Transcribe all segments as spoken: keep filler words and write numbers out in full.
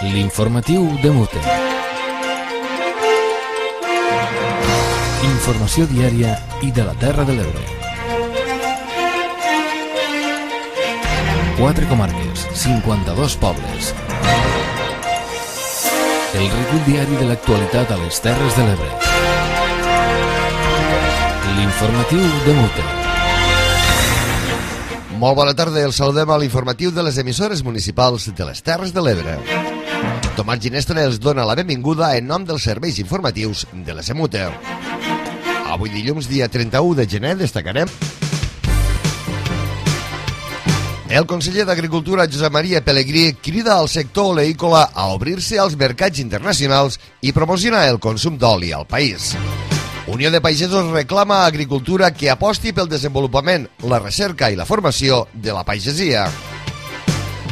L'informatiu de Mute. Informació diària i de la Terra de l'Ebre. Quatre comarques, cinquanta-dos pobles. El recull diari de l'actualitat a les Terres de l'Ebre. L'informatiu de Mute. Molt bona tarda, el saludem a l'informatiu de les emissores municipals de les Terres de l'Ebre. Tomàs Ginestra els dona la benvinguda en nom dels serveis informatius de l'S M U T E. Avui dilluns, dia trenta-u de gener, destacarem el conseller d'Agricultura, Josep Maria Pelegrí, crida al sector oleícola a obrir-se als mercats internacionals i promocionar el consum d'oli al país. Unió de Pagesos reclama a Agricultura que aposti pel desenvolupament, la recerca i la formació de la pagesia.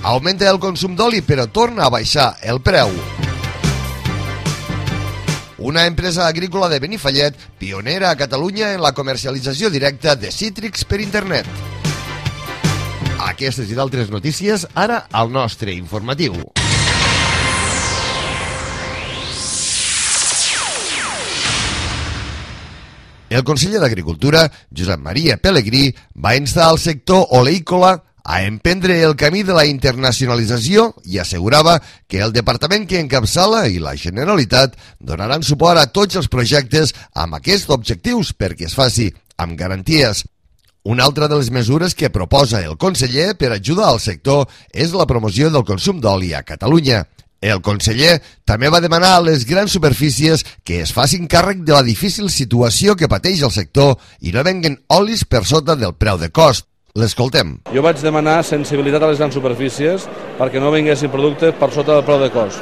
Augmenta el consum d'oli però torna a baixar el preu. Una empresa agrícola de Benifallet, pionera a Catalunya en la comercialització directa de cítrics per internet. Aquestes i d'altres notícies, ara al nostre informatiu. El conseller d'Agricultura, Josep Maria Pelegrí, va instar al sector oleícola a emprendre el camí de la internacionalització i assegurava que el departament que encapçala i la Generalitat donaran suport a tots els projectes amb aquests objectius perquè es faci amb garanties. Una altra de les mesures que proposa el conseller per ajudar al sector és la promoció del consum d'oli a Catalunya. El conseller també va demanar a les grans superfícies que es facin càrrec de la difícil situació que pateix el sector i no venguen olis per sota del preu de cost. L'escoltem. Jo vaig demanar sensibilitat a les grans superfícies perquè no venguessin productes per sota del preu de cost.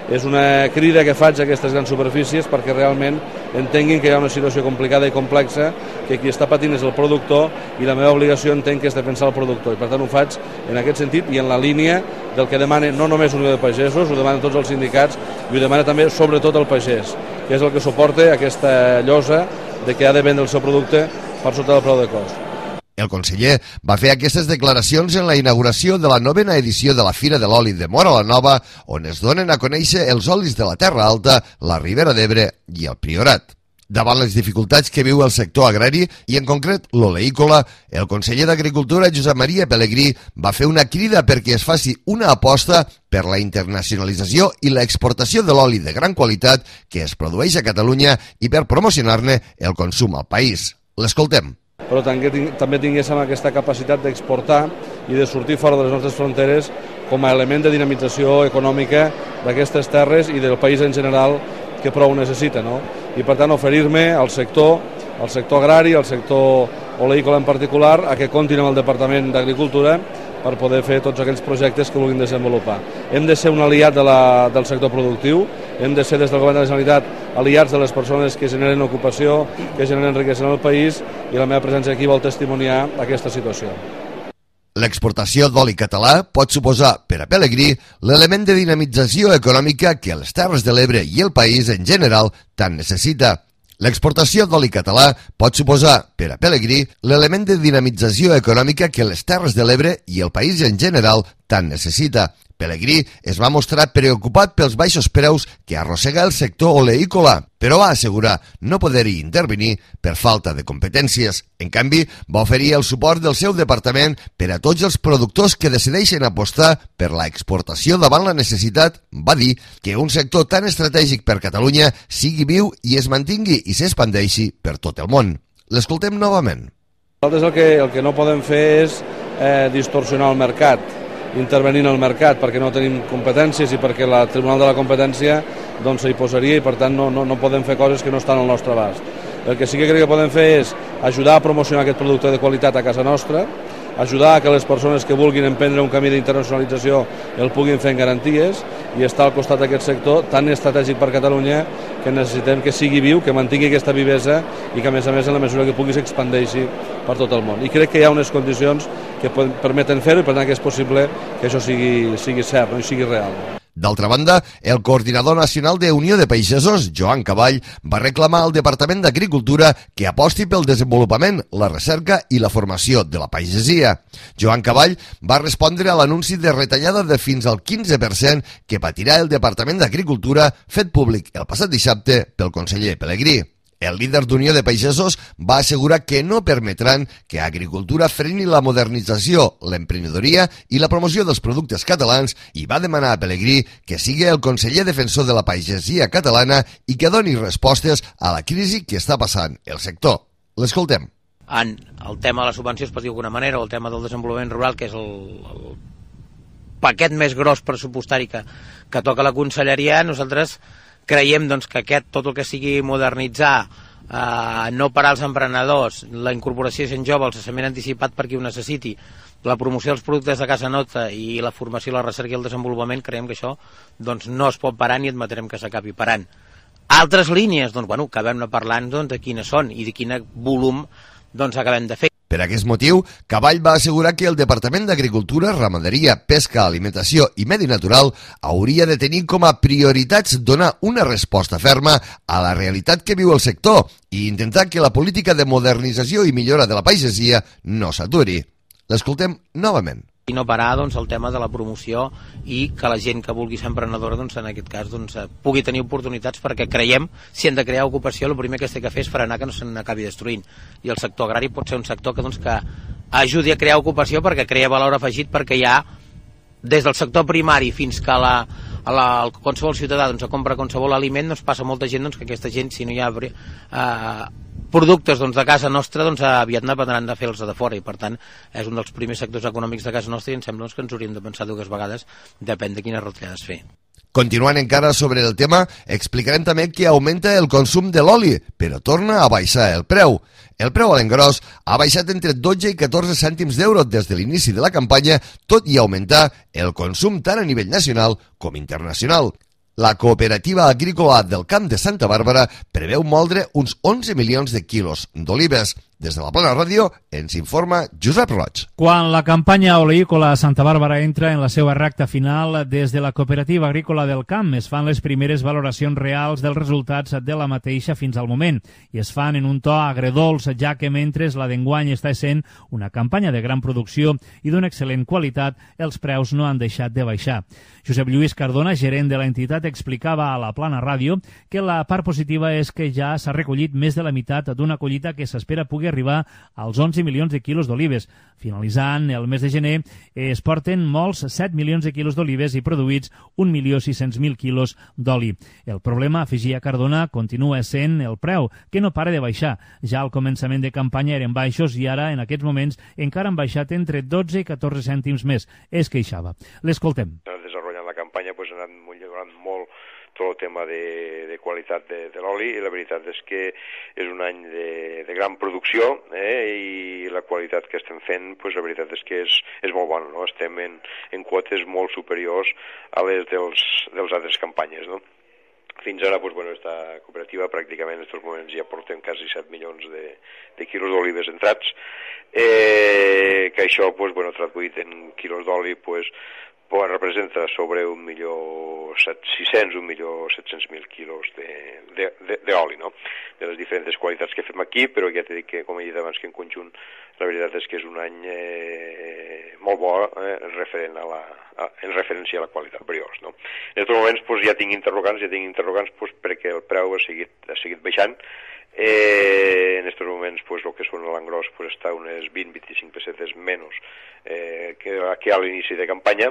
És una crida que faig a aquestes grans superfícies perquè realment entenguin que hi ha una situació complicada i complexa, que qui està patint és el productor i la meva obligació entenc que és defensar el productor. I per tant ho faig en aquest sentit i en la línia del que demana no només Unió de Pagesos, ho demanen tots els sindicats i ho demana també sobretot el pagès, que és el que suporta aquesta llosa de que ha de vendre el seu producte per sota del preu de cost. El conseller va fer aquestes declaracions en la inauguració de la novena edició de la Fira de l'Oli de Móra la Nova, on es donen a conèixer els olis de la Terra Alta, la Ribera d'Ebre i el Priorat. Davant les dificultats que viu el sector agrari, i en concret l'oleícola, el conseller d'Agricultura, Josep Maria Pelegrí, va fer una crida perquè es faci una aposta per la internacionalització i l'exportació de l'oli de gran qualitat que es produeix a Catalunya i per promocionar-ne el consum al país. L'escoltem. Però també tinguéssim aquesta capacitat d'exportar i de sortir fora de les nostres fronteres com a element de dinamització econòmica d'aquestes terres i del país en general que prou necessita, no? I per tant oferir-me al sector, al sector agrari, al sector oleícola en particular, a que comptin amb el Departament d'Agricultura per poder fer tots aquells projectes que vulguin desenvolupar. Hem de ser un aliat de la, del sector productiu, hem de ser des del Govern de la Generalitat aliats de les persones que generen ocupació, que generen riquesa en el país, i la meva presència aquí vol testimoniar aquesta situació. L'exportació d'oli català pot suposar, per a Pelegrí, l'element de dinamització econòmica que les Terres de l'Ebre i el país en general tant necessita. L'exportació d'oli català pot suposar, per a Pelegrí, l'element de dinamització econòmica que les Terres de l'Ebre i el país en general tant necessita. Pelegrí es va mostrar preocupat pels baixos preus que arrossega el sector oleícola, però va assegurar no poder-hi intervenir per falta de competències. En canvi, va oferir el suport del seu departament per a tots els productors que decideixen apostar per la exportació davant la necessitat, va dir, que un sector tan estratègic per Catalunya sigui viu i es mantingui i s'expandeixi per tot el món. L'escoltem novament. Nosaltres el que, el que no podem fer és eh, distorsionar el mercat, intervenir en el mercat perquè no tenim competències i perquè el Tribunal de la Competència doncs s'hi posaria i per tant no, no, no podem fer coses que no estan al nostre abast. El que sí que crec que podem fer és ajudar a promocionar aquest producte de qualitat a casa nostra, ajudar a que les persones que vulguin emprendre un camí d'internacionalització el puguin fer en garanties i estar al costat d'aquest sector tan estratègic per Catalunya que necessitem que sigui viu, que mantingui aquesta vivesa i que a més a més en la mesura que pugui s'expandeixi per tot el món. I crec que hi ha unes condicions que permeten fer-ho i per tant que és possible que això sigui, sigui cert, no? I sigui real. D'altra banda, el coordinador nacional de Unió de Pagesos, Joan Caball, va reclamar al Departament d'Agricultura que aposti pel desenvolupament, la recerca i la formació de la pagesia. Joan Caball va respondre a l'anunci de retallada de fins al quinze per cent que patirà el Departament d'Agricultura fet públic el passat dissabte pel conseller Pelegrí. El líder d'Unió de Pagesos va assegurar que no permetran que Agricultura freni la modernització, l'emprenedoria i la promoció dels productes catalans i va demanar a Pelegrí que sigui el conseller defensor de la pagesia catalana i que doni respostes a la crisi que està passant el sector. L'escoltem. En el tema de les subvencions, per dir d'alguna manera, o el tema del desenvolupament rural, que és el, el paquet més gros pressupostari que, que toca la conselleria, nosaltres creiem doncs, que aquest, tot el que sigui modernitzar, eh, no parar els emprenedors, la incorporació de gent jove, el cessament anticipat per qui ho necessiti, la promoció dels productes de casa nostra i la formació, la recerca i el desenvolupament, creiem que això doncs, no es pot parar ni admetrem que s'acabi parant. Altres línies, doncs, bueno, acabem parlant doncs, de quines són i de quin volum doncs, acabem de fer. Per aquest motiu, Caball va assegurar que el Departament d'Agricultura, Ramaderia, Pesca, Alimentació i Medi Natural hauria de tenir com a prioritats donar una resposta ferma a la realitat que viu el sector i intentar que la política de modernització i millora de la pagesia no s'aturi. L'escoltem novament. I no parar doncs, el tema de la promoció i que la gent que vulgui ser emprenedora doncs, en aquest cas doncs, pugui tenir oportunitats, perquè creiem, si hem de crear ocupació, el primer que es té que fer és frenar que no se n'acabi destruint. I el sector agrari pot ser un sector que, doncs, que ajudi a crear ocupació perquè crea valor afegit, perquè hi ha des del sector primari fins que la, a la, el qualsevol ciutadà doncs, compra qualsevol aliment, doncs, passa molta gent doncs, que aquesta gent, si no hi ha eh, productes doncs, de casa nostra, doncs, aviat n'aprendran de fer els de fora, i per tant és un dels primers sectors econòmics de casa nostra i em sembla doncs, que ens hauríem de pensar dues vegades, depèn de quines retallades fer. Continuant encara sobre el tema, explicarem també que augmenta el consum de l'oli, però torna a baixar el preu. El preu a l'engròs ha baixat entre dotze i catorze cèntims d'euro des de l'inici de la campanya, tot i augmentar el consum tant a nivell nacional com internacional. La Cooperativa Agrícola del Camp de Santa Bàrbara preveu moldre uns onze milions de quilos d'olives. Des de la Plana Ràdio ens informa Josep Roig. Quan la campanya oleícola a Santa Bàrbara entra en la seva recta final, des de la Cooperativa Agrícola del Camp es fan les primeres valoracions reals dels resultats de la mateixa fins al moment i es fan en un to agredolç, ja que mentre la d'enguany està sent una campanya de gran producció i d'una excel·lent qualitat, els preus no han deixat de baixar. Josep Lluís Cardona, gerent de l'entitat, explicava a la Plana Ràdio que la part positiva és que ja s'ha recollit més de la meitat d'una collita que s'espera pugui arribar als onze milions de quilos d'olives. Finalitzant el mes de gener, es porten molts set milions de quilos d'olives i produïts un milió sis-cents mil quilos d'oli. El problema, afegia Cardona, continua sent el preu, que no para de baixar. Ja al començament de campanya eren baixos i ara, en aquests moments, encara han baixat entre dotze i catorze cèntims més. Es queixava. L'escoltem. Desenvolupant la campanya pues, ha anat millorant molt tot el tema de, de qualitat de, de l'oli i la veritat és que és un any de, de gran producció eh, i la qualitat que estem fent pues, la veritat és que és, és molt bona, no? Estem en, en quotes molt superiors a les dels, dels altres campanyes, no? Fins ara, pues, bueno, esta cooperativa pràcticament en aquests moments ja portem quasi set milions de, de quilos d'olives entrats, eh, que això, pues, bueno, traduït en quilos d'oli, pues, pues representa sobre un milió sis-cents, un milió set-cents mil quilos d'oli, no? De les diferents qualitats que fem aquí, però ja t'he dit que, com he dit abans, que en conjunt la veritat és que és un any eh, molt bo eh, referent a la, a, en referència a la qualitat briós, no? En aquests moments pues, ja tinc interrogants, ja tinc interrogants pues, perquè el preu ha seguit, ha seguit baixant. Eh, en aquests moments pues, el que són l'engròs pues, està unes vint a vint-i-cinc pessetes menys eh, que, que a l'inici de campanya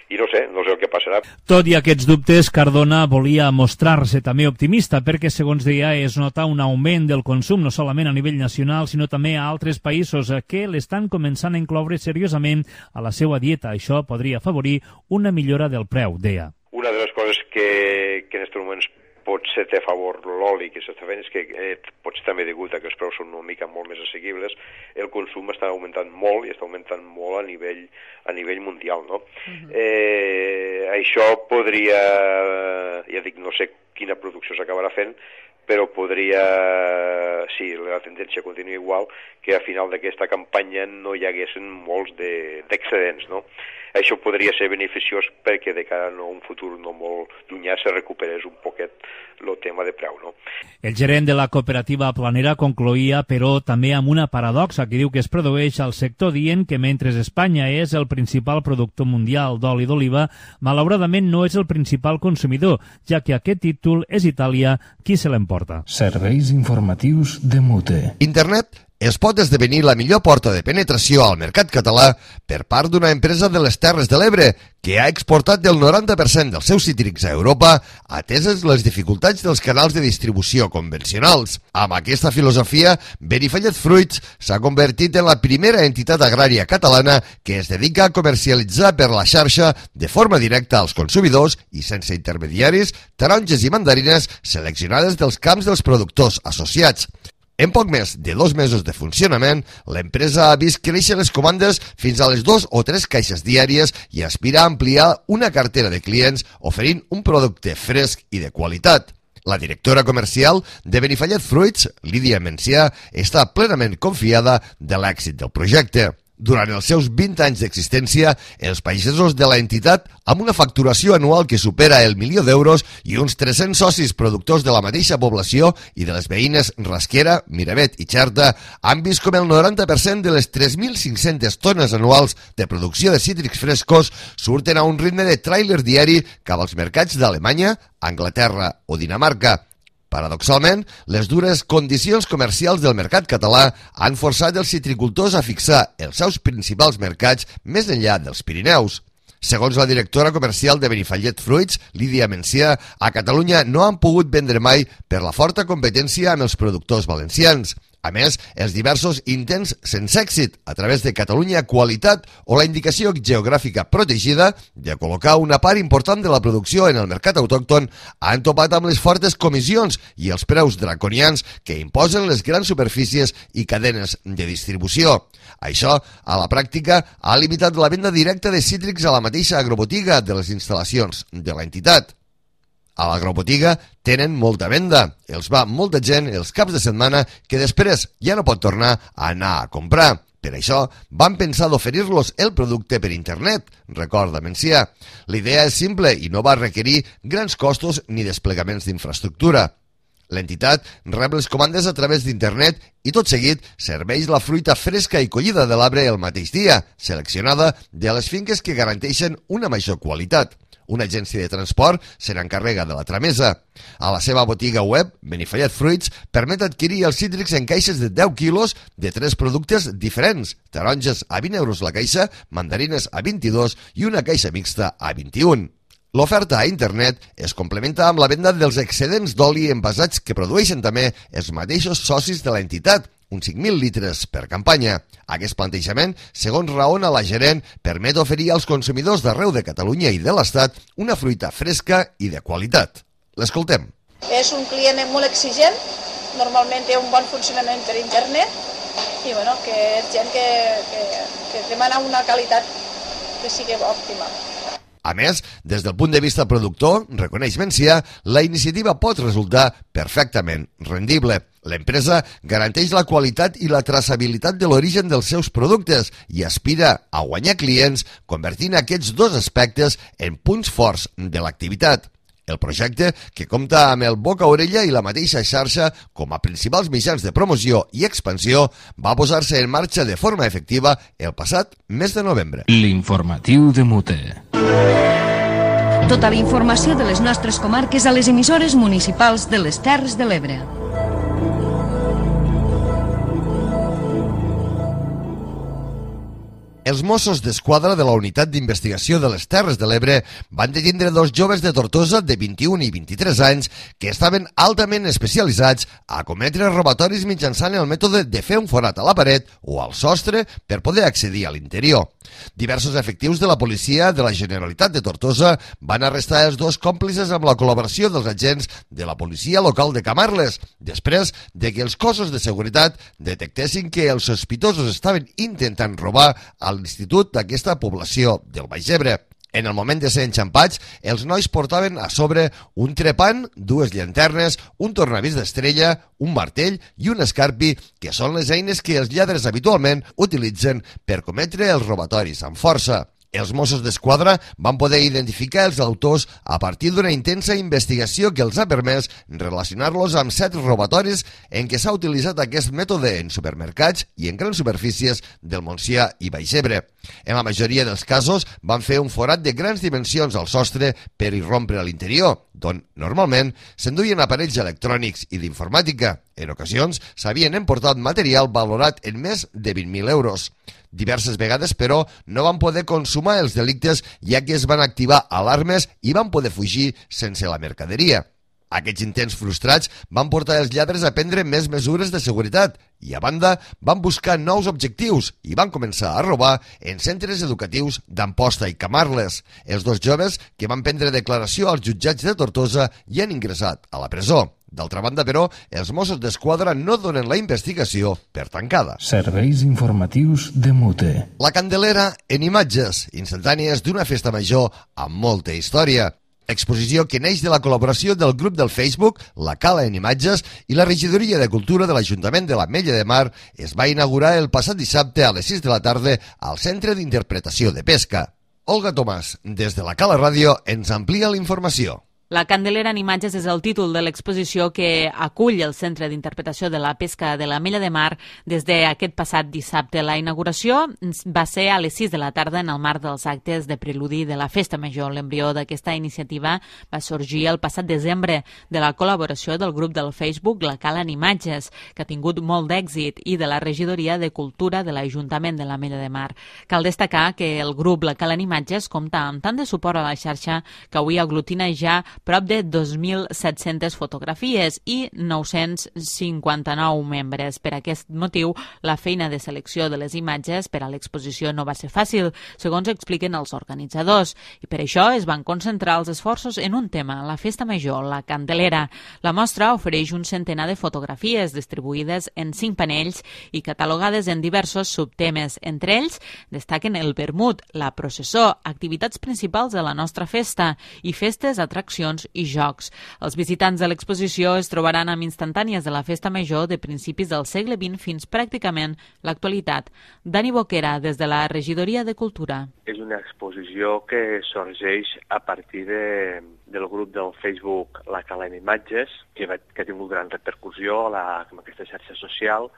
i no sé, no sé el que passarà. Tot i aquests dubtes, Cardona volia mostrar-se també optimista perquè, segons deia, es nota un augment del consum no solament a nivell nacional, sinó també a altres països que l'estan començant a incloure seriosament a la seva dieta. Això podria afavorir una millora del preu, deia. Una de les coses que, que en aquests moments potser té a favor l'oli que s'està fent és que eh, potser també degut a que els preus són una mica molt més assequibles, el consum està augmentant molt i està augmentant molt a nivell, a nivell mundial, no? Uh-huh. eh, això podria, ja dic, no sé quina producció s'acabarà fent, però podria, si sí, la tendència continua igual, que a final d'aquesta campanya no hi haguessin molts d'excedents, no? això podria ser beneficiós perquè de cara a un futur no molt llunyà se recuperés un poquet el tema de preu, no? El gerent de la cooperativa Planera concloïa, però, també amb una paradoxa que diu que es produeix al sector, dient que mentre Espanya és el principal productor mundial d'oli d'oliva, malauradament no és el principal consumidor, ja que aquest títol és Itàlia qui se l'emporta. Serveis informatius de Mute. Internet es pot esdevenir la millor porta de penetració al mercat català per part d'una empresa de les Terres de l'Ebre que ha exportat el noranta per cent dels seus cítrics a Europa, ateses les dificultats dels canals de distribució convencionals. Amb aquesta filosofia, Benifallet Fruits s'ha convertit en la primera entitat agrària catalana que es dedica a comercialitzar per la xarxa de forma directa als consumidors i sense intermediaris taronges i mandarines seleccionades dels camps dels productors associats. En poc més de dos mesos de funcionament, l'empresa ha vist créixer les comandes fins a les dues o tres caixes diàries i aspira a ampliar una cartera de clients oferint un producte fresc i de qualitat. La directora comercial de Benifallet Fruits, Lídia Mencià, està plenament confiada de l'èxit del projecte. Durant els seus vint anys d'existència, els pagesos de l'entitat, amb una facturació anual que supera el milió d'euros i uns tres-cents socis productors de la mateixa població i de les veïnes Rasquera, Miravet i Xerta, han vist com el noranta per cent de les tres mil cinc-centes tones anuals de producció de cítrics frescos surten a un ritme de tràiler diari cap als mercats d'Alemanya, Anglaterra o Dinamarca. Paradoxalment, les dures condicions comercials del mercat català han forçat els citricultors a fixar els seus principals mercats més enllà dels Pirineus. Segons la directora comercial de Benifallet Fruits, Lídia Mencià, a Catalunya no han pogut vendre mai per la forta competència amb els productors valencians. A més, els diversos intents sense èxit a través de Catalunya Qualitat o la indicació geogràfica protegida de col·locar una part important de la producció en el mercat autòcton han topat amb les fortes comissions i els preus draconians que imposen les grans superfícies i cadenes de distribució. Això, a la pràctica, ha limitat la venda directa de cítrics a la mateixa agrobotiga de les instal·lacions de l'entitat. A l'agrobotiga tenen molta venda, els va molta gent els caps de setmana que després ja no pot tornar a anar a comprar. Per això van pensar d'oferir-los el producte per internet, recorda Mencià. La idea és simple i no va requerir grans costos ni desplegaments d'infraestructura. L'entitat rep les comandes a través d'internet i tot seguit serveix la fruita fresca i collida de l'arbre el mateix dia, seleccionada de les finques que garanteixen una major qualitat. Una agència de transport se n'encarrega de la tramesa. A la seva botiga web, Benifallet Fruits permet adquirir els cítrics en caixes de deu quilos de tres productes diferents. Taronges a vint euros la caixa, mandarines a vint-i-dos i una caixa mixta a vint-i-un. L'oferta a internet es complementa amb la venda dels excedents d'oli envasats que produeixen també els mateixos socis de l'entitat, uns cinc mil litres per campanya. Aquest plantejament, segons raona la gerent, permet oferir als consumidors d'arreu de Catalunya i de l'Estat una fruita fresca i de qualitat. L'escoltem. És un client molt exigent, normalment té un bon funcionament per internet i bueno, que és gent que, que, que demana una qualitat que sigui òptima. A més, des del punt de vista productor, reconeix Mencià, la iniciativa pot resultar perfectament rendible. L'empresa garanteix la qualitat i la traçabilitat de l'origen dels seus productes i aspira a guanyar clients convertint aquests dos aspectes en punts forts de l'activitat. El projecte, que compta amb el boca-orella i la mateixa xarxa com a principals mitjans de promoció i expansió, va posar-se en marxa de forma efectiva el passat mes de novembre. L'informatiu de Mute. Tota la informació de les nostres comarques a les emissores municipals de les Terres de l'Ebre. Els Mossos d'Esquadra de la Unitat d'Investigació de les Terres de l'Ebre van detindre dos joves de Tortosa de vint-i-un i vint-i-tres anys que estaven altament especialitzats a cometre robatoris mitjançant el mètode de fer un forat a la paret o al sostre per poder accedir a l'interior. Diversos efectius de la policia de la Generalitat de Tortosa van arrestar els dos còmplices amb la col·laboració dels agents de la policia local de Camarles, després de que els cossos de seguretat detectessin que els sospitosos estaven intentant robar a l'institut d'aquesta població del Baix Ebre. En el moment de ser enxampats, els nois portaven a sobre un trepant, dues llanternes, un tornavís d'estrella, un martell i un escarpi, que són les eines que els lladres habitualment utilitzen per cometre els robatoris amb força. Els Mossos d'Esquadra van poder identificar els autors a partir d'una intensa investigació que els ha permès relacionar-los amb set robatoris en què s'ha utilitzat aquest mètode en supermercats i en grans superfícies del Montsià i Baix Ebre. En la majoria dels casos van fer un forat de grans dimensions al sostre per irrompre a l'interior, d'on normalment s'enduien aparells electrònics i d'informàtica. En ocasions s'havien emportat material valorat en més de vint mil euros. Diverses vegades, però, no van poder consumar els delictes ja que es van activar alarmes i van poder fugir sense la mercaderia. Aquests intents frustrats van portar els lladres a prendre més mesures de seguretat i, a banda, van buscar nous objectius i van començar a robar en centres educatius d'Amposta i Camarles. Els dos joves, que van prendre declaració als jutjats de Tortosa, hi han ingressat a la presó. D'altra banda, però, els Mossos d'Esquadra no donen la investigació per tancada. Serveis informatius de Mute. La Candelera en imatges instantànies d'una festa major amb molta història. Exposició que neix de la col·laboració del grup del Facebook La Cala en Imatges i la Regidoria de Cultura de l'Ajuntament de l'Ametlla de Mar es va inaugurar el passat dissabte a les sis de la tarda al Centre d'Interpretació de Pesca. Olga Tomàs, des de la Cala Ràdio, ens amplia la informació. La Candelera en Imatges és el títol de l'exposició que acull el Centre d'Interpretació de la Pesca de l'Ametlla de Mar des d'aquest passat dissabte. La inauguració va ser a les sis de la tarda en el marc dels actes de preludi de la Festa Major. L'embrió d'aquesta iniciativa va sorgir el passat desembre de la col·laboració del grup del Facebook La Cala en Imatges, que ha tingut molt d'èxit, i de la Regidoria de Cultura de l'Ajuntament de l'Ametlla de Mar. Cal destacar que el grup La Cala en Imatges compta amb tant de suport a la xarxa que avui aglutina ja prop de dos mil set-centes fotografies i nou-cents cinquanta-nou membres. Per aquest motiu, la feina de selecció de les imatges per a l'exposició no va ser fàcil, segons expliquen els organitzadors, i per això es van concentrar els esforços en un tema, la Festa Major, la Candelera. La mostra ofereix un centenar de fotografies distribuïdes en cinc panells i catalogades en diversos subtemes. Entre ells destaquen el vermut, la processó, activitats principals de la nostra festa i festes, atraccions i jocs. Els visitants de l'exposició es trobaran amb instantànies de la Festa Major de principis del segle vint fins pràcticament l'actualitat. Dani Boquera, des de la Regidoria de Cultura. És una exposició que sorgeix a partir de, del grup del Facebook La Cala en Imatges, que, va, que ha tingut gran repercussió a la, en aquesta xarxa social,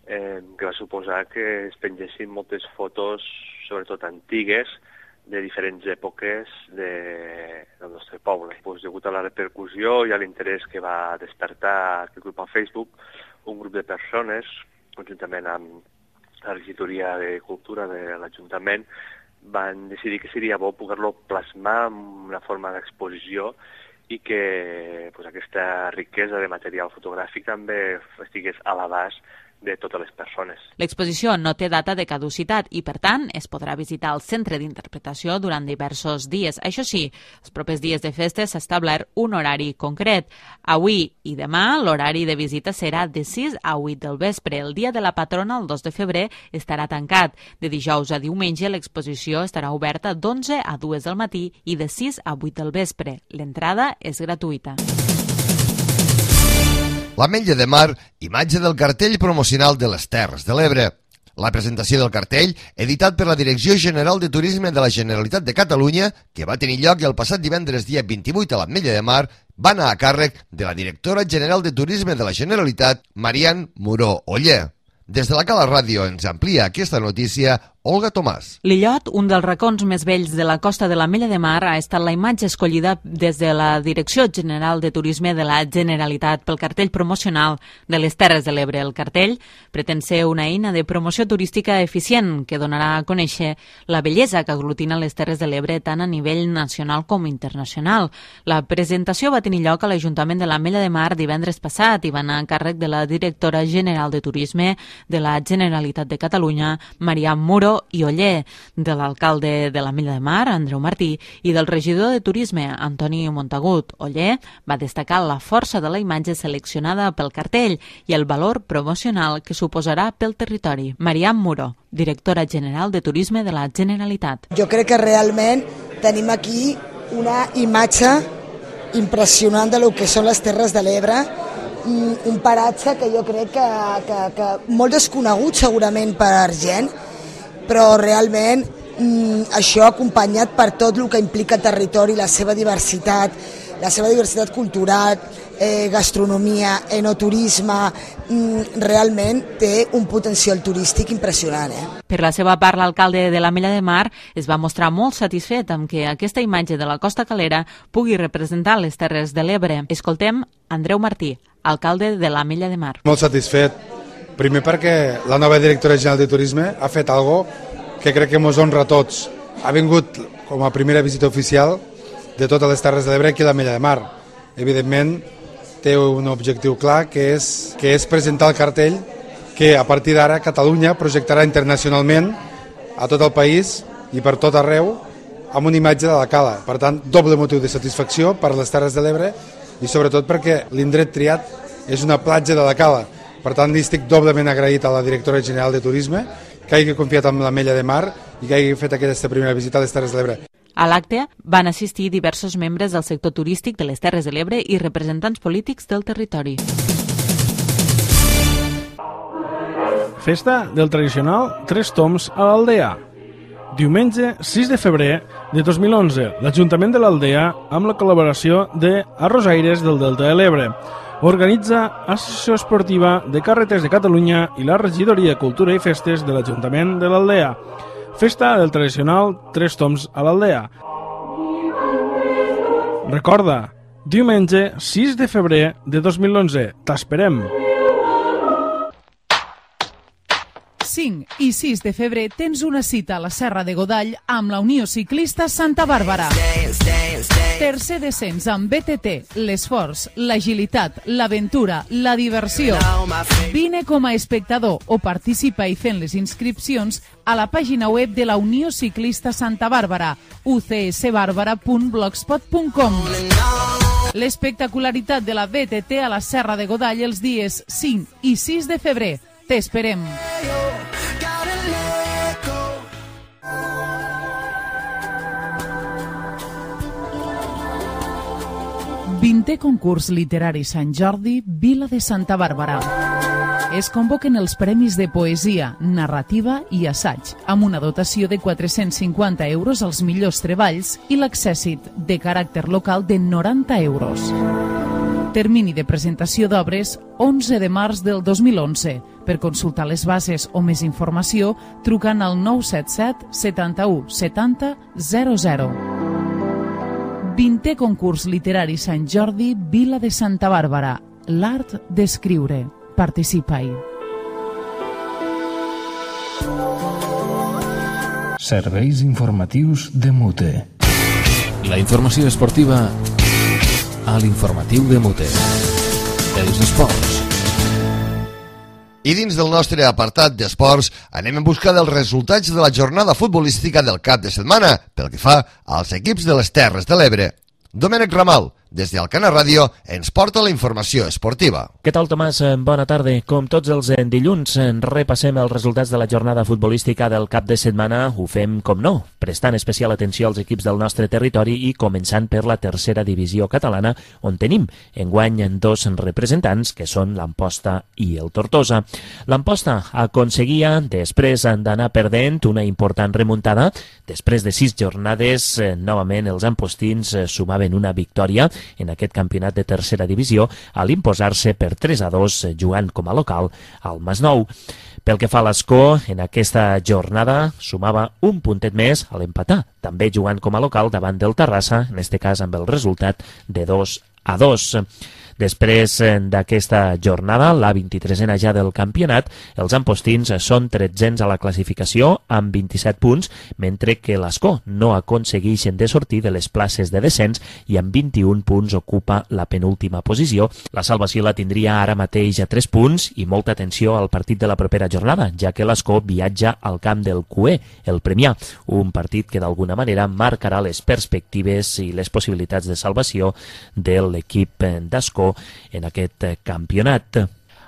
eh, que va suposar que es pengessin moltes fotos, sobretot antigues, de diferents èpoques de, del nostre poble. Pues, degut a la repercussió i a l'interès que va despertar aquest grup al Facebook, un grup de persones, conjuntament amb la Regidoria de Cultura de l'Ajuntament, van decidir que seria bo poder-lo plasmar en una forma d'exposició i que pues, aquesta riquesa de material fotogràfic també estigués a l'abast de totes les persones. L'exposició no té data de caducitat i, per tant, es podrà visitar el centre d'interpretació durant diversos dies. Això sí, els propers dies de festa s'ha establert un horari concret. Avui i demà l'horari de visita serà de sis a vuit del vespre. El dia de la patrona, el dos de febrer, estarà tancat. De dijous a diumenge l'exposició estarà oberta d'onze a dues del matí i de sis a vuit del vespre. L'entrada és gratuïta. L'Ametlla de Mar, imatge del cartell promocional de les Terres de l'Ebre. La presentació del cartell, editat per la Direcció General de Turisme de la Generalitat de Catalunya, que va tenir lloc el passat divendres dia vint-i-vuit a l'Ametlla de Mar, va anar a càrrec de la directora general de Turisme de la Generalitat, Marian Muró Oller. Des de la Cala Ràdio ens amplia aquesta notícia Olga Tomàs. L'illot, un dels racons més vells de la costa de l'Ametlla de Mar, ha estat la imatge escollida des de la Direcció General de Turisme de la Generalitat pel cartell promocional de les Terres de l'Ebre. El cartell pretén ser una eina de promoció turística eficient que donarà a conèixer la bellesa que aglutina les Terres de l'Ebre tant a nivell nacional com internacional. La presentació va tenir lloc a l'Ajuntament de l'Ametlla de Mar divendres passat i va anar a càrrec de la Directora General de Turisme de la Generalitat de Catalunya, Marian Muró i Oller, de l'alcalde de l'Ametlla de Mar, Andreu Martí, i del regidor de Turisme, Antoni Montagut. Oller va destacar la força de la imatge seleccionada pel cartell i el valor promocional que suposarà pel territori. Marian Muró, directora general de Turisme de la Generalitat. Jo crec que realment tenim aquí una imatge impressionant de lo que són les Terres de l'Ebre, un paratge que jo crec que, que, que molt desconegut segurament per gent, però realment mm, això acompanyat per tot el que implica territori, la seva diversitat, la seva diversitat cultural, eh, gastronomia, enoturisme, mm, realment té un potencial turístic impressionant. Eh? Per la seva part, l'alcalde de l'Ametlla de Mar es va mostrar molt satisfet amb que aquesta imatge de la Costa Calera pugui representar les Terres de l'Ebre. Escoltem Andreu Martí, alcalde de l'Ametlla de Mar. Molt satisfet, primer perquè la nova directora general de Turisme ha fet algo que crec que ens honra a tots. Ha vingut com a primera visita oficial de totes les Terres de l'Ebre aquí a l'Ametlla de Mar. Evidentment, té un objectiu clar, que és, que és presentar el cartell que a partir d'ara Catalunya projectarà internacionalment a tot el país i per tot arreu amb una imatge de la Cala. Per tant, doble motiu de satisfacció per a les Terres de l'Ebre i sobretot perquè l'indret triat és una platja de la Cala. Per tant, li estic doblement agraït a la directora general de Turisme que hagi confiat en l'Ametlla de Mar i que hagi fet aquesta primera visita a les Terres de l'Ebre. A l'acte van assistir diversos membres del sector turístic de les Terres de l'Ebre i representants polítics del territori. Festa del tradicional Tres Toms a l'Aldea. Diumenge sis de febrer de dos mil onze, l'Ajuntament de l'Aldea, amb la col·laboració de Arrosaires del Delta de l'Ebre, organitza Associació Esportiva de Carretes de Catalunya i la Regidoria de Cultura i Festes de l'Ajuntament de l'Aldea. Festa del tradicional Tres Toms a l'Aldea. Recorda, diumenge sis de febrer de dos mil onze. T'esperem! cinc i sis de febrer tens una cita a la Serra de Godall amb la Unió Ciclista Santa Bàrbara. Tercer descens amb B T T, l'esforç, l'agilitat, l'aventura, la diversió. Vine com a espectador o participa i fent les inscripcions a la pàgina web de la Unió Ciclista Santa Bàrbara, u c s barbara punt blogspot punt com. L'espectacularitat de la B T T a la Serra de Godall els dies cinc i sis de febrer. T'esperem. vintè concurs literari Sant Jordi, Vila de Santa Bàrbara. Es convoquen els premis de poesia, narrativa i assaig, amb una dotació de quatre-cents cinquanta euros als millors treballs i l'accèssit de caràcter local de noranta euros. Termini de presentació d'obres onze de març del dos mil onze. Per consultar les bases o més informació, trucant al nou set set setanta-u setanta zero zero. vintè concurs literari Sant Jordi, Vila de Santa Bàrbara. L'art d'escriure. Participa-hi. Serveis informatius de Mute. La informació esportiva a l'informatiu de Mute. Els esports. I dins del nostre apartat d'esports anem en busca dels resultats de la jornada futbolística del cap de setmana pel que fa als equips de les Terres de l'Ebre. Domènec Ramal, des d'Alcana Ràdio, ens porta la informació esportiva. Què tal, Tomàs? Bona tarda. Com tots els dilluns, repassem els resultats de la jornada futbolística del cap de setmana. Ho fem, com no, prestant especial atenció als equips del nostre territori i començant per la tercera divisió catalana, on tenim enguany dos representants, que són l'Amposta i el Tortosa. L'Amposta aconseguia, després d'anar perdent una important remuntada, després de sis jornades, novament els ampostins sumaven una victòria en aquest campionat de tercera divisió a l'imposar-se per tres a dos jugant com a local al Masnou. Pel que fa a l'Escó, en aquesta jornada sumava un puntet més a l'empatar, també jugant com a local davant del Terrassa, en aquest cas amb el resultat de dos a dos. Després d'aquesta jornada, la vint-i-tresena ja del campionat, els ampostins són tretzens a la classificació amb vint-i-set punts, mentre que l'Escó no aconsegueixen de sortir de les places de descens i amb vint-i-un punts ocupa la penúltima posició. La salvació la tindria ara mateix a tres punts i molta atenció al partit de la propera jornada, ja que l'Escó viatja al camp del Cué, el Premià, un partit que d'alguna manera marcarà les perspectives i les possibilitats de salvació de l'equip d'Escó en aquest campionat.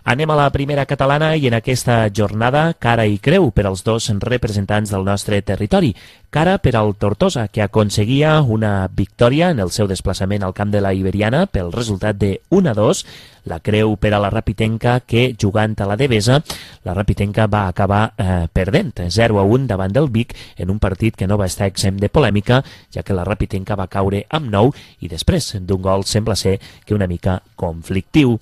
Anem a la primera catalana i en aquesta jornada cara i creu per als dos representants del nostre territori. Cara per al Tortosa, que aconseguia una victòria en el seu desplaçament al camp de la Iberiana pel resultat de un a dos. La creu per a la Rapitenca, que jugant a la Devesa, la Rapitenca va acabar eh, perdent zero a un davant del Vic en un partit que no va estar exempt de polèmica, ja que la Rapitenca va caure amb nou i després d'un gol sembla ser que una mica conflictiu.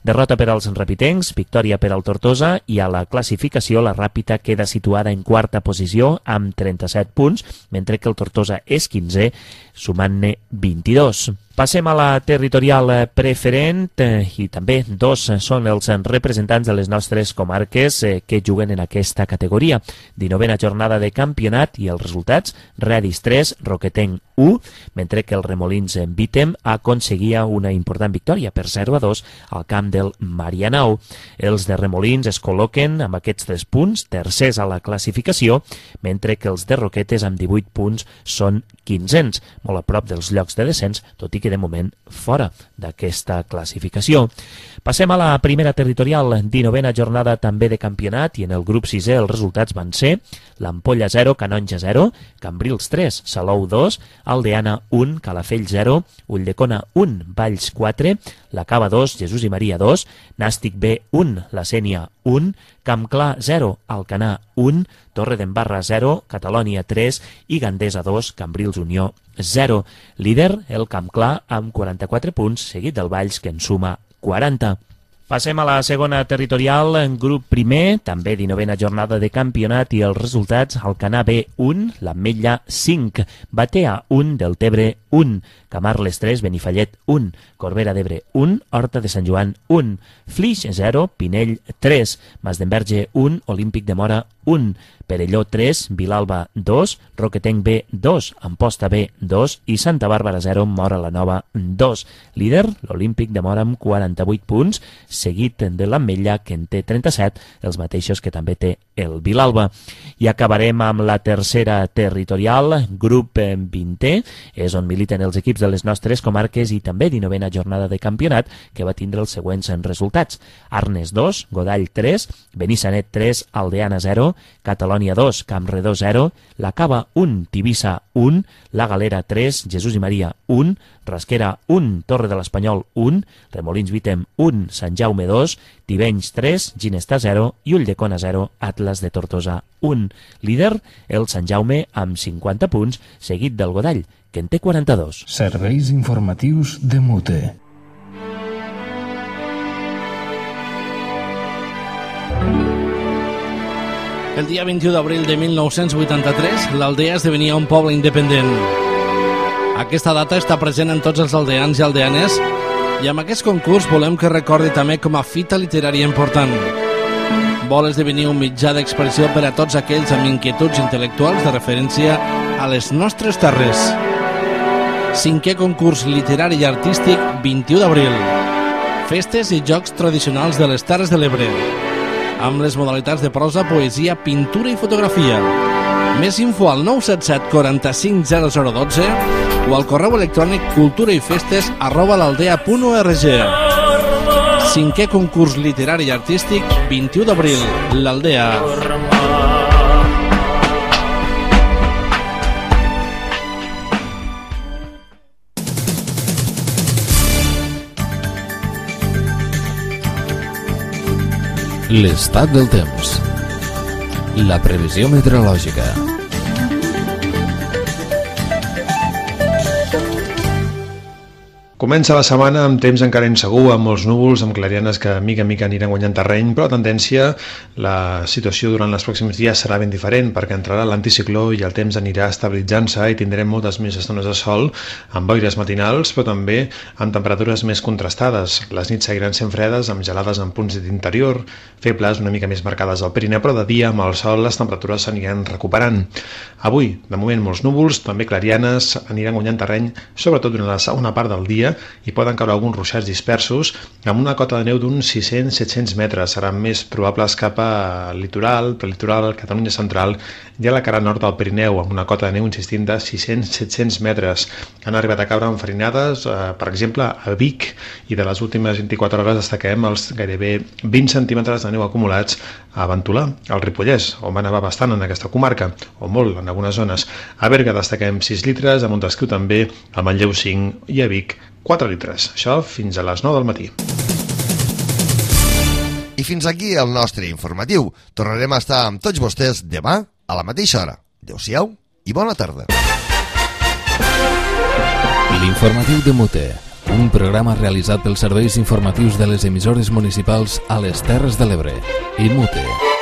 Derrota per als rapitencs, victòria per al Tortosa, i a la classificació la Ràpita queda situada en quarta posició amb trenta-set punts, mentre que el Tortosa és quinzè, sumant-ne vint-i-dos. Passem a la territorial preferent eh, i també dos són els representants de les nostres comarques eh, que juguen en aquesta categoria. dinovena jornada de campionat i els resultats: Redis tres, Roquetenc u, mentre que el Remolins en Vítem aconseguia una important victòria per zero a dos al camp del Marianao. Els de Remolins es col·loquen amb aquests tres punts, tercers a la classificació, mentre que els de Roquetes amb divuit punts són quinzens, molt a prop dels llocs de descens, tot i que de moment fora d'aquesta classificació. Passem a la primera territorial, dinovena jornada també de campionat, i en el grup sisè els resultats van ser l'Ampolla zero, Canonja zero, Cambrils tres, Salou dos, Aldeana un, Calafell zero, Ulldecona un, Valls quatre, la Cava dos, Jesús i Maria dos, Nàstic B un, la Sénia un, Campclar zero, Alcanar un, Torre d'Embarra zero, Catalònia tres i Gandesa dos, Cambrils Unió zero. Líder, el Campclar, amb quaranta-quatre punts, seguit del Valls, que en suma quaranta. Passem a la segona territorial, en grup primer, també dinovena jornada de campionat, i els resultats: Alcanar B un, l'Ametlla cinc, Batea un, Deltebre un, Camarles tres, Benifallet un, Corbera d'Ebre un, Horta de Sant Joan un, Flix zero, Pinell tres, Masdenverge un, Olímpic de Mora un, Perelló tres, Vilalba dos, Roquetenc B dos, Amposta B dos i Santa Bàrbara zero, Mora la Nova dos. Líder, l'Olímpic de Mora amb quaranta-vuit punts, seguit de l'Ametlla, que en té trenta-set, els mateixos que també té el Vilalba. I acabarem amb la tercera territorial, grup vintè, és on militen els equips de les nostres comarques i també dinovena jornada de campionat, que va tindre els següents resultats: Arnes dos, Godall tres, Benissanet tres, Aldeana zero, Catalònia dos, Campredó zero, la Cava un, Tivissa un, la Galera tres, Jesús i Maria un, Rasquera un, Torre de l'Espanyol un, Remolins Vítem un, Sant Jaume dos, Tivenys tres, Ginestà zero i Ulldecona zero, Atlas de Tortosa un. Líder, el Sant Jaume amb cinquanta punts, seguit del Godall, que en té quaranta-dos. Serveis informatius de Mute. El dia vint-i-u d'abril de mil nou-cents vuitanta-tres, l'Aldea esdevenia un poble independent. Aquesta data està present en tots els aldeans i aldeanes, i amb aquest concurs volem que recordi també com a fita literària important. Vol esdevenir un mitjà d'expressió per a tots aquells amb inquietuds intel·lectuals de referència a les nostres terres. Cinquè concurs literari i artístic, vint-i-u d'abril. Festes i jocs tradicionals de les Terres de l'Ebre, amb les modalitats de prosa, poesia, pintura i fotografia. Més info al nou set set quaranta-cinc zero zero dotze o al correu electrònic culturaifestes arroba l'aldea punt org. Cinquè concurs literari i artístic, vint-i-u d'abril, l'Aldea. L'estat del temps. La previsió meteorològica. Comença la setmana amb temps encara insegur, amb molts núvols, amb clarianes que mica en mica aniran guanyant terreny, però la tendència, la situació durant els pròxims dies serà ben diferent, perquè entrarà l'anticicló i el temps anirà estabilitzant-se i tindrem moltes més estones de sol, amb boires matinals, però també amb temperatures més contrastades. Les nits seguiran sent fredes, amb gelades en punts d'interior, febles una mica més marcades al Pirineu, però de dia, amb el sol, les temperatures s'aniran recuperant. Avui, de moment, molts núvols, també clarianes, aniran guanyant terreny, sobretot durant la segona part del dia, dia hi poden caure alguns ruixats dispersos amb una cota de neu d'uns sis-cents a set-cents metres. Seran més probables cap al litoral, prelitoral, Catalunya central i a la cara nord del Pirineu, amb una cota de neu, insistint, de sis-cents a set-cents metres. Han arribat a caure enfarinades, eh, per exemple, a Vic, i de les últimes vint-i-quatre hores destaquem els gairebé vint centímetres de neu acumulats a Ventolà, al Ripollès, on va nevar bastant en aquesta comarca, o molt en algunes zones. A Berga destaquem sis litres, a Montesquieu també, a Manlleu cinc i a Vic quatre litres. Això fins a les nou del matí. I fins aquí el nostre informatiu. Tornarem a estar amb tots vostès demà a la mateixa hora. Adéu-siau i bona tarda. L'informatiu de Mute, un programa realitzat pels serveis informatius de les emissores municipals a les Terres de l'Ebre i Mute.